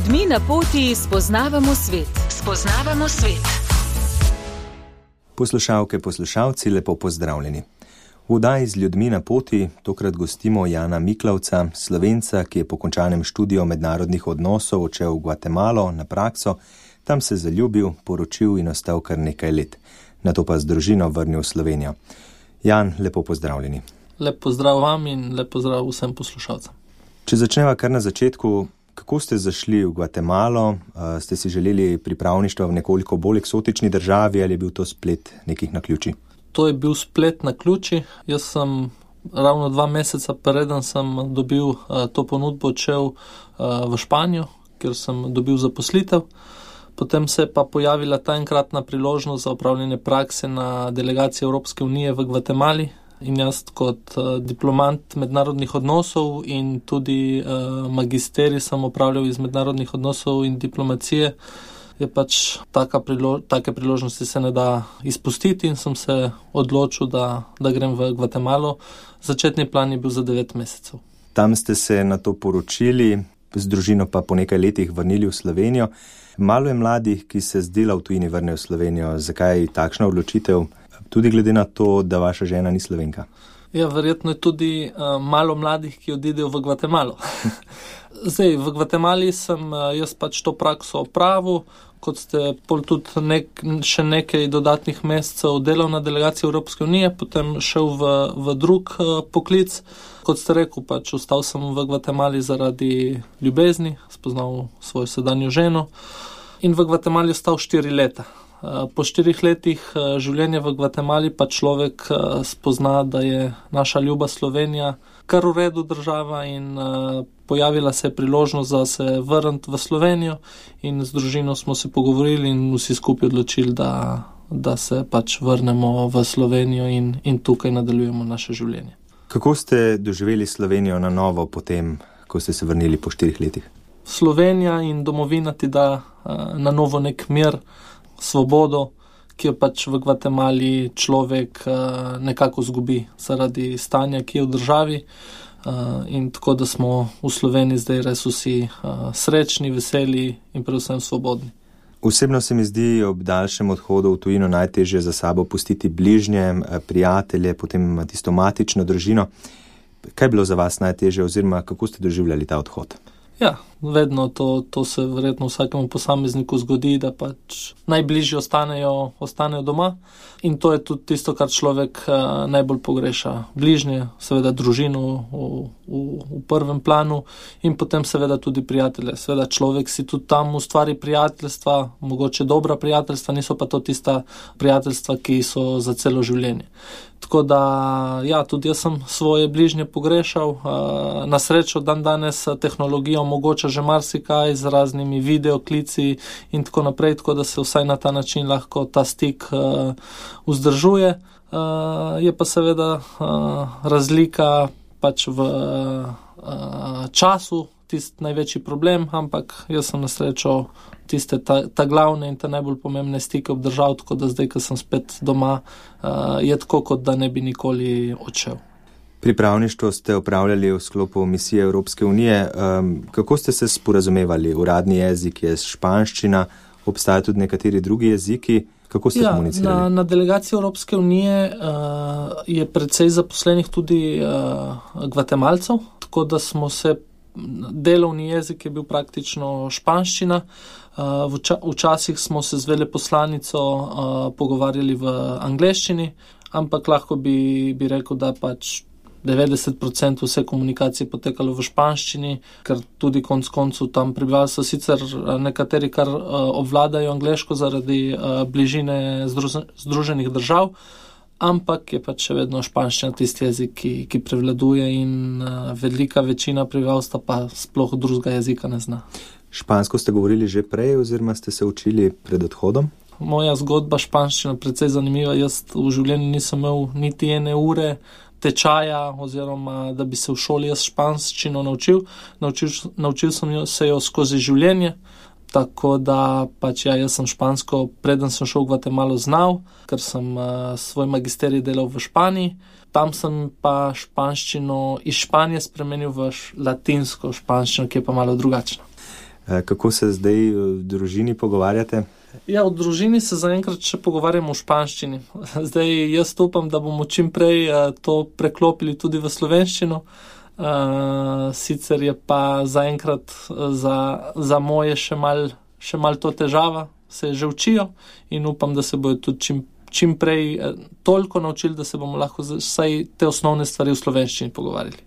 ljudmi na poti spoznavamo svet. Spoznavamo svet. Poslušalke, poslušalci, lepo pozdravljeni. V oddaji z ljudmi na poti tokrat gostimo Jana Miklavca, Slovenca, ki je po končanem študiju mednarodnih odnosov odšel v Gvatemalo na prakso, tam se zaljubil, poročil in ostal kar nekaj let. Nato pa z družino vrnil v Slovenijo. Jan, lepo pozdravljeni. Lep pozdrav vam in lep pozdrav vsem poslušalcem. Če začneva kar na začetku, kako ste zašli v Gvatemalo? Ste si želeli pripravništva v nekoliko bolj eksotični državi ali je bil to splet nekih naključij? To je bil splet naključij. Jaz sem ravno 2 meseca preden sem dobil to ponudbo odšel v Španijo, kjer sem dobil zaposlitev. Potem se je pa pojavila ta enkratna priložnost za opravljanje prakse na delegaciji Evropske unije v Gvatemali. In jaz kot diplomant mednarodnih odnosov in tudi magisterij sem opravljal iz mednarodnih odnosov in diplomacije, je pač take priložnosti se ne da izpustiti in sem se odločil, da grem v Gvatemalo. Začetni plan je bil za 9 mesecev. Tam ste se na to poročili, z družino pa po nekaj letih vrnili v Slovenijo. Malo je mladih, ki se z dela v tujini vrnejo v Slovenijo. Zakaj takšna odločitev? Tudi glede na to, da vaša žena ni Slovenka. Ja, verjetno je tudi malo mladih, ki odidejo v Gvatemalo. Zdaj, v Gvatemali sem jaz pač to prakso opravil, kot ste pol tudi še nekaj dodatnih mesecev delal na delegaciji Evropske unije, potem šel v drug poklic. Kot ste rekel, pač ostal sem v Gvatemali zaradi ljubezni, spoznal svojo sedanjo ženo in v Gvatemali ostal 4 leta. Po 4 letih življenja v Gvatemali pa človek spozna, da je naša ljuba Slovenija kar v redu država in pojavila se je priložnost, da se vrniti v Slovenijo in z družino smo se pogovorili in vsi skupaj odločili, da se pač vrnemo v Slovenijo in tukaj nadaljujemo naše življenje. Kako ste doživeli Slovenijo na novo potem, ko ste se vrnili po 4 letih? Slovenija in domovina ti da na novo nek mir, svobodo, ki jo pač v Gvatemali človek nekako zgubi zaradi stanja, ki je v državi. In tako, da smo v Sloveniji zdaj res vsi srečni, veseli in predvsem svobodni. Osebno se mi zdi ob daljšem odhodu v tujino najtežje za sabo pustiti bližnje, prijatelje, potem tisto matično družino. Kaj je bilo za vas najtežje oziroma kako ste doživljali ta odhod? Ja, vedno to se verjetno vsakemu posamezniku zgodi, da pač najbližji ostanejo doma in to je tudi tisto, kar človek najbolj pogreša. Bližnje, seveda družino v prvem planu in potem seveda tudi prijatelje. Seveda človek si tudi tam ustvari prijateljstva, mogoče dobra prijateljstva, niso pa to tista prijateljstva, ki so za celo življenje. Tako da, ja, tudi jaz sem svoje bližnje pogrešal. Na srečo danes tehnologija omogoča že marsikaj z raznimi videoklici in tako naprej, tako da se vsaj na ta način lahko ta stik vzdržuje. Je pa seveda razlika pač v času tisti največji problem, ampak jaz sem na srečo tiste ta glavne in ta najbolj pomembne stike obdržal, tako da zdaj, ko sem spet doma, je tako, kot da ne bi nikoli odšel. Pripravništvo ste opravljali v sklopu misije Evropske unije. Kako ste se sporazumevali? Uradni jezik je španščina, obstajajo tudi nekateri drugi jeziki. Kako ste komunicirali? Na delegaciji Evropske unije je precej zaposlenih tudi Gvatemalcev, tako da smo se delovni jezik je bil praktično španščina. Včasih smo se z veleposlanico pogovarjali v angleščini, ampak lahko bi rekel, da pač 90% vse komunikacije potekalo v španščini, ker tudi konec koncev tam prebivalstvo sicer nekateri kar obvladajo angleško zaradi bližine Združenih držav, ampak je pač še vedno španščina tisti jezik, ki prevladuje in velika večina prebivalstva pa sploh drugega jezika ne zna. Špansko ste govorili že prej oziroma ste se učili pred odhodom? Moja zgodba španščina precej zanimiva. Jaz v življenju nisem imel niti 1 ure tečaja oziroma da bi se v šoli jaz španščino naučil. Naučil sem se jo skozi življenje. Tako da pač jaz sem špansko, preden sem šel v Gvatemalo, znal, ker sem svoj magisterij delal v Španiji. Tam sem pa španščino iz Španije spremenil v latinsko španščino, ki je pa malo drugačna. Kako se zdaj v družini pogovarjate? Ja, v družini se zaenkrat še pogovarjamo v španščini. Zdaj jaz upam, da bomo čim prej to preklopili tudi v slovenščino. Sicer je pa zaenkrat za moje še mal to težava, se že učijo in upam, da se bojo tudi čim prej toliko naučili, da se bomo lahko vsaj te osnovne stvari v slovenščini pogovarjali.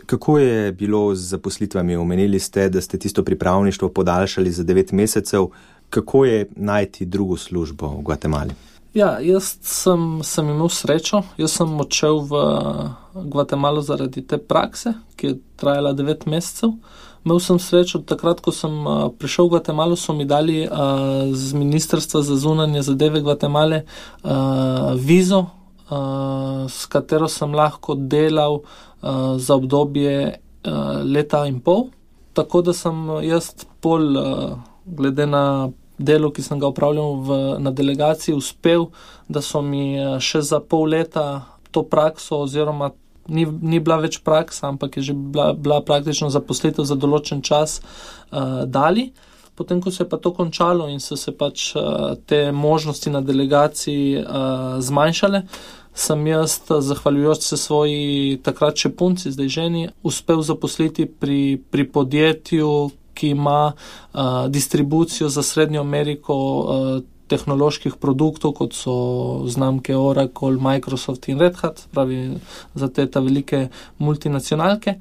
Kako je bilo z zaposlitvami? Omenili ste, da ste tisto pripravništvo podaljšali za 9 mesecev. Kako je najti drugo službo v Gvatemali? Ja, jaz sem imel srečo. Jaz sem odšel v Gvatemalo zaradi te prakse, ki je trajala 9 mesecev. Imel sem srečo, takrat, ko sem prišel v Gvatemalo, so mi dali z Ministrstva za zunanje zadeve Gvatemale vizo, s katero sem lahko delal za obdobje leta in pol. Tako da sem jaz glede na delo, ki sem ga upravljal na delegaciji, uspel, da so mi še za pol leta to prakso oziroma ni bila več praksa, ampak je že bila praktično zaposlitev za določen čas dali. Potem, ko se je pa to končalo in so se pač te možnosti na delegaciji zmanjšale, sem jaz, zahvaljujoč se svoji takrat še punci, zdaj ženi, uspel zaposliti pri podjetju, ki ima distribucijo za Srednjo Ameriko tehnoloških produktov, kot so znamke Oracle, Microsoft in Red Hat, pravi za te velike multinacionalke.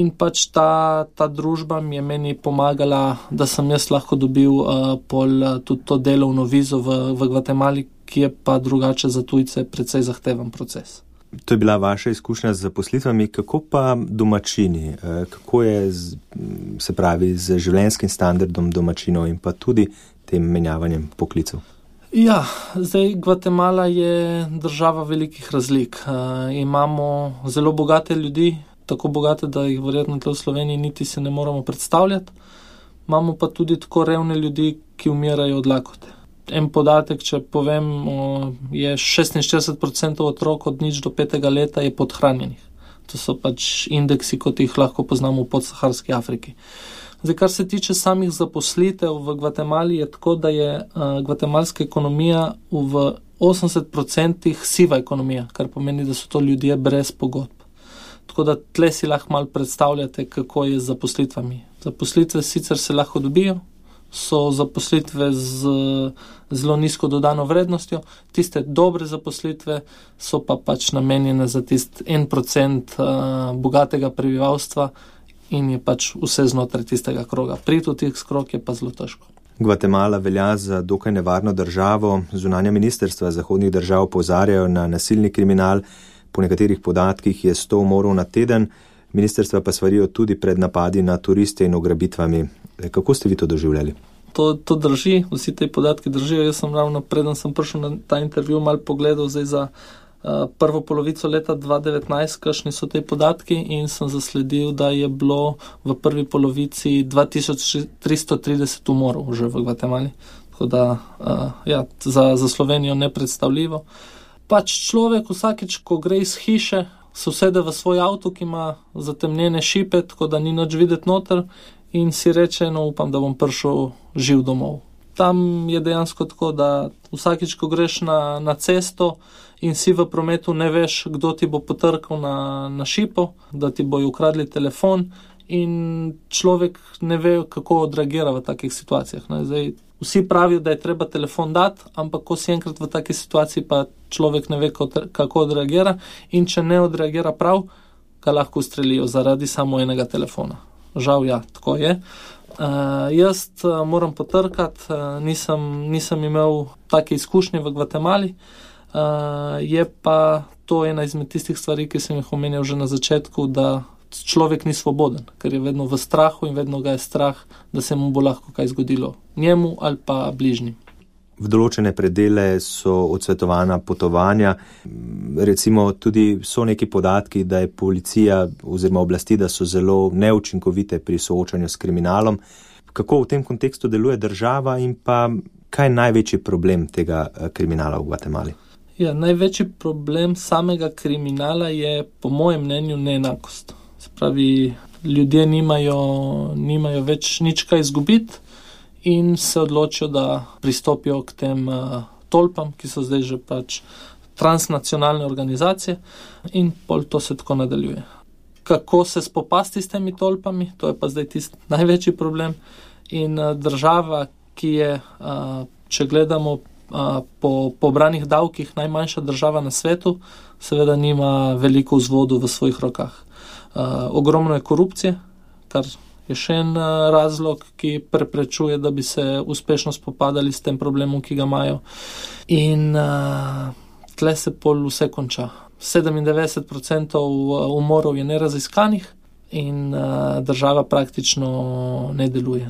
In pač ta družba mi je meni pomagala, da sem jaz lahko dobil tudi to delovno vizo v Gvatemali, ki je pa drugače za tujce precej zahteven proces. To je bila vaša izkušnja z zaposlitvami, kako pa domačini? Kako je z življenjskim standardom domačinov in pa tudi tem menjavanjem poklicev? Ja, zdaj Gvatemala je država velikih razlik. Imamo zelo bogate ljudi, tako bogate, da jih verjetno v Sloveniji niti se ne moramo predstavljati. Imamo pa tudi tako revne ljudi, ki umirajo od lakote. En podatek, če povem, je 46% otrok od 0 do 5 leta je podhranjenih. To so pač indeksi, kot jih lahko poznamo v podsaharski Afriki. Zdaj, kar se tiče samih zaposlitev v Gvatemali, je tako, da je gvatemalska ekonomija v 80% siva ekonomija, kar pomeni, da so to ljudje brez pogodb. Tako da tle si lahko malo predstavljate, kako je z zaposlitvami. Zaposlitve sicer se lahko dobijo, so zaposlitve z zelo nizko dodano vrednostjo, tiste dobre zaposlitve so pa pač namenjene za tist 1% bogatega prebivalstva in je pač vse znotraj tistega kroga. Priti v tih krog je pa zelo težko. Gvatemala velja za dokaj nevarno državo. Zunanja ministrstva zahodnih držav opozarjajo na nasilni kriminal. Po nekaterih podatkih je 100 umorov na teden. Ministrstva pa svarijo tudi pred napadi na turiste in ugrabitvami. Kako ste vi to doživljali? To drži, vsi te podatki držijo. Jaz sem ravno preden sem prišel na ta intervju malo pogledal zdaj za prvo polovico leta 2019, kakšni so te podatki in sem zasledil, da je bilo v prvi polovici 2330 umorov že v Gvatemali. Tako da za Slovenijo nepredstavljivo. Pač človek vsakič, ko gre iz hiše, se usede v svoj avto, ki ima zatemnjene šipe, tako da ni nič videti noter in si reče, upam, da bom prišel živ domov. Tam je dejansko tako, da vsakič, ko greš na cesto in si v prometu, ne veš, kdo ti bo potrkal na šipo, da ti bojo ukradli telefon in človek ne ve, kako odreagira v takih situacijah. Zdaj, vsi pravijo, da je treba telefon dati, ampak ko si enkrat v taki situaciji, pa človek ne ve, kako odreagira in če ne odreagira prav, ga lahko ustrelijo zaradi samo enega telefona. Žal, ja, tako je. Jaz moram potrkati, nisem imel take izkušnje v Gvatemali, je pa to ena izmed tistih stvari, ki sem jih omenjal že na začetku, da človek ni svoboden, ker je vedno v strahu in vedno ga je strah, da se mu bo lahko kaj zgodilo njemu ali pa bližnjim. V določene predele so odsvetovana potovanja, recimo tudi so neki podatki, da je policija oziroma oblasti, da so zelo neučinkovite pri soočanju s kriminalom. Kako v tem kontekstu deluje država in pa kaj je največji problem tega kriminala v Gvatemali? Ja, največji problem samega kriminala je po mojem mnenju neenakost. Se pravi, ljudje nimajo več nič kaj izgubiti in se odločijo, da pristopijo k tem tolpam, ki so zdaj že pač transnacionalne organizacije, in pol to se tako nadaljuje. Kako se spopasti s temi tolpami, to je pa zdaj tisti največji problem. In država, ki je, če gledamo po pobranih davkih, najmanjša država na svetu, seveda nima veliko vzvodov v svojih rokah. Ogromno je korupcije, kar je še en razlog, ki preprečuje, da bi se uspešno spopadali s tem problemom, ki ga imajo. In tle se pol vse konča. 97% umorov je neraziskanih in država praktično ne deluje.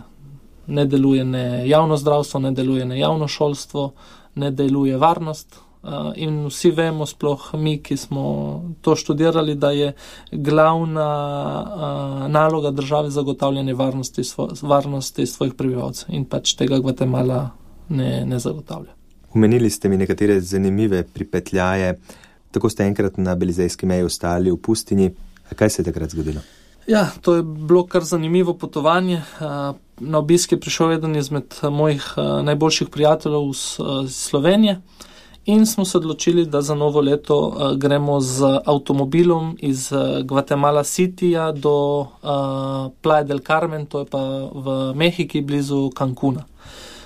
Ne deluje ne javno zdravstvo, ne deluje ne javno šolstvo, ne deluje varnost. In vsi vemo, sploh mi, ki smo to študirali, da je glavna naloga države zagotavljanje varnosti svojih prebivalcev in pač tega Gvatemala ne zagotavlja. Omenili ste mi nekatere zanimive pripetljaje. Tako ste enkrat na belizejski meji ostali v pustinji. Kaj se je takrat zgodilo? Ja, to je bilo kar zanimivo potovanje. Na obisk je prišel eden izmed mojih najboljših prijateljev iz Slovenije in smo se odločili, da za novo leto gremo z avtomobilom iz Guatemala Cityja do Playa del Carmen, to je pa v Mehiki, blizu Cancuna.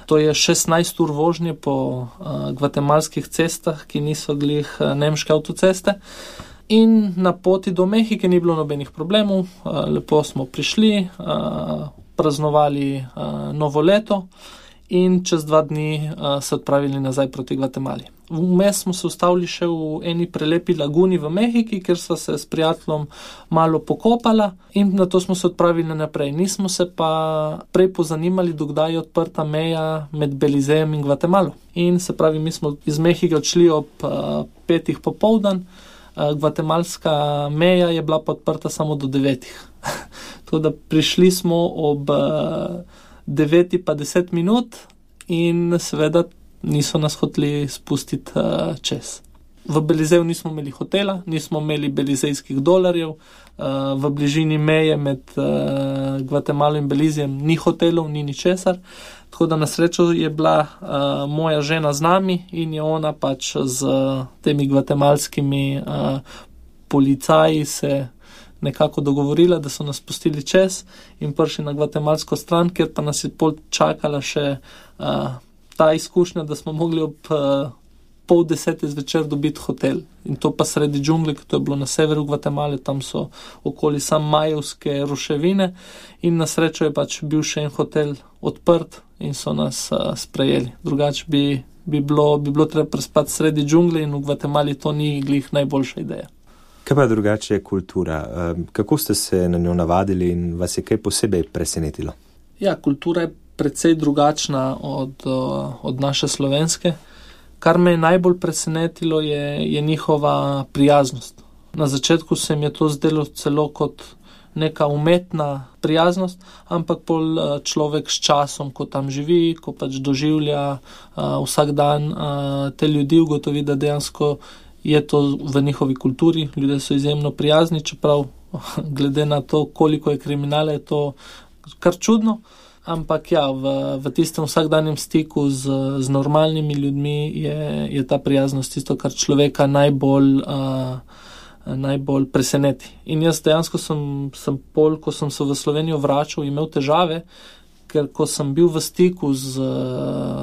To je 16 ur vožnje po gvatemalskih cestah, ki niso glih nemške avtoceste. In na poti do Mehike ni bilo nobenih problemov, lepo smo prišli, praznovali novo leto in čez 2 dni se odpravili nazaj proti Gvatemali. Vmes smo se ustavili še v eni prelepi laguni v Mehiki, kjer sva se s prijateljem malo pokopala in na to smo se odpravili naprej. Nismo se pa prej pozanimali, dokdaj je odprta meja med Belizejem in Gvatemalo. In se pravi, mi smo iz Mehike odšli ob 5. popoldan, gvatemalska meja je bila pa odprta samo do 9. Tako da prišli smo ob 9 pa 10 minut in seveda niso nas hoteli spustiti čez. V Belizeju nismo imeli hotela, nismo imeli belizejskih dolarjev, v bližini meje med Gvatemalo in Belizejem ni hotelov, ni ničesar. Tako da na srečo je bila moja žena z nami in je ona pač z temi gvatemalskimi policaji se nekako dogovorila, da so nas pustili čez in prišli na gvatemalsko stran, kjer pa nas je pol čakala še ta izkušnja, da smo mogli ob 9:30 zvečer dobiti hotel. In to pa sredi džungle, ker to je bilo na severu Gvatemale, tam so okoli sam majevske ruševine in na srečo je pač bil še en hotel odprt in so nas sprejeli. Drugače bi bilo treba prespati sredi džungle in v Gvatemali to ni glih najboljša ideja. Kaj pa drugače je kultura? Kako ste se na njo navadili in vas je kaj posebej presenetilo? Ja, kultura je precej drugačna od naše slovenske. Kar me je najbolj presenetilo je njihova prijaznost. Na začetku se mi je to zdelo celo kot neka umetna prijaznost, ampak pol človek s časom, ko tam živi, ko pač doživlja vsak dan te ljudi, ugotovi, da dejansko je to v njihovi kulturi. Ljudje so izjemno prijazni, čeprav glede na to, koliko je kriminala, je to kar čudno. Ampak ja, v tistem vsakdanjem stiku z normalnimi ljudmi je ta prijaznost tisto, kar človeka najbolj preseneti. In jaz dejansko sem pol, ko sem se v Slovenijo vračal, imel težave, ker ko sem bil v stiku z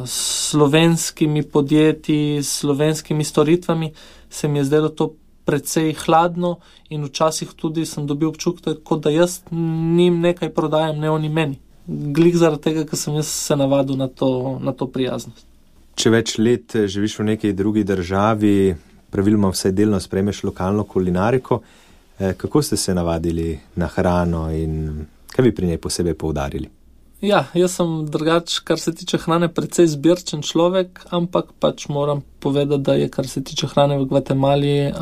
slovenskimi podjetji, s slovenskimi storitvami, se mi je zdelo to precej hladno in včasih tudi sem dobil občutek, kot da jaz njim nekaj prodajam, ne oni meni. Glih zaradi tega, ker sem jaz se navadil na to prijaznost. Če več let živiš v neki drugi državi, praviloma vsaj delno sprejmeš lokalno kulinariko, kako ste se navadili na hrano in kaj bi pri njej posebej poudarili? Ja, jaz sem drugač, kar se tiče hrane, precej zbirčen človek, ampak pač moram povedati, da je, kar se tiče hrane v Gvatemali,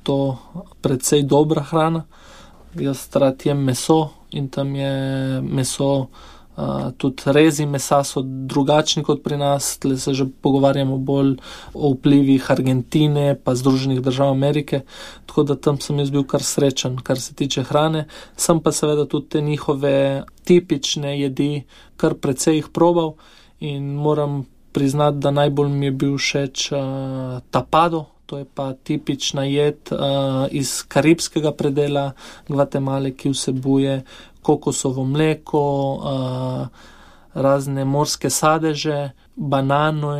to precej dobra hrana. Jaz rad jem meso in tam je meso Tudi rezi mesa so drugačni kot pri nas, tle se že pogovarjamo bolj o vplivih Argentine pa Združenih držav Amerike, tako da tam sem jaz bil kar srečen, kar se tiče hrane. Sem pa seveda tudi te njihove tipične jedi kar precej jih probal in moram priznati, da najbolj mi je bil všeč tapado. To je pa tipična jed iz karibskega predela Gvatemale, ki vsebuje kokosovo mleko, razne morske sadeže, banano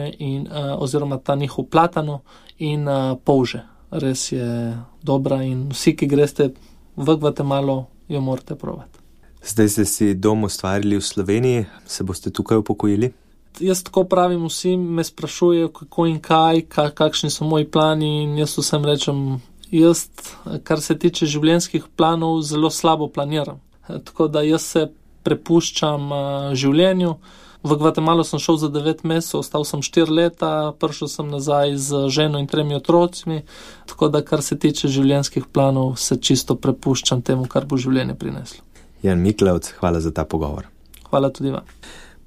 oziroma ta njihov platano in polže. Res je dobra in vsi, ki greste v Gvatemalo, jo morate probati. Zdaj ste si dom ustvarili v Sloveniji, se boste tukaj upokojili? Jaz tako pravim, vsi me sprašujejo, kako in kaj, kakšni so moji plani in jaz vsem rečem, jaz, kar se tiče življenjskih planov, zelo slabo planiram. Tako da jaz se prepuščam življenju. V Gvatemalo sem šel za 9 mesecev, ostal sem 4 leta, prišel sem nazaj z ženo in 3 otrocmi, tako da kar se tiče življenjskih planov, se čisto prepuščam temu, kar bo življenje prineslo. Jan Miklavc, hvala za ta pogovor. Hvala tudi vam.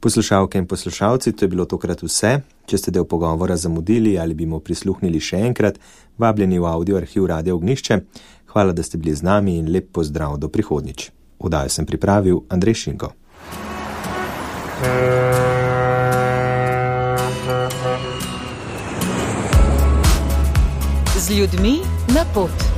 Poslušalke in poslušalci, to je bilo tokrat vse. Če ste del pogovora zamudili ali bi mu prisluhnili še enkrat, vabljeni v audio arhiv Radia Ognjišče. Hvala, da ste bili z nami in lep pozdrav do prihodnjič. Oddajo sem pripravil Andrej Šinko. Z ljudmi na pot.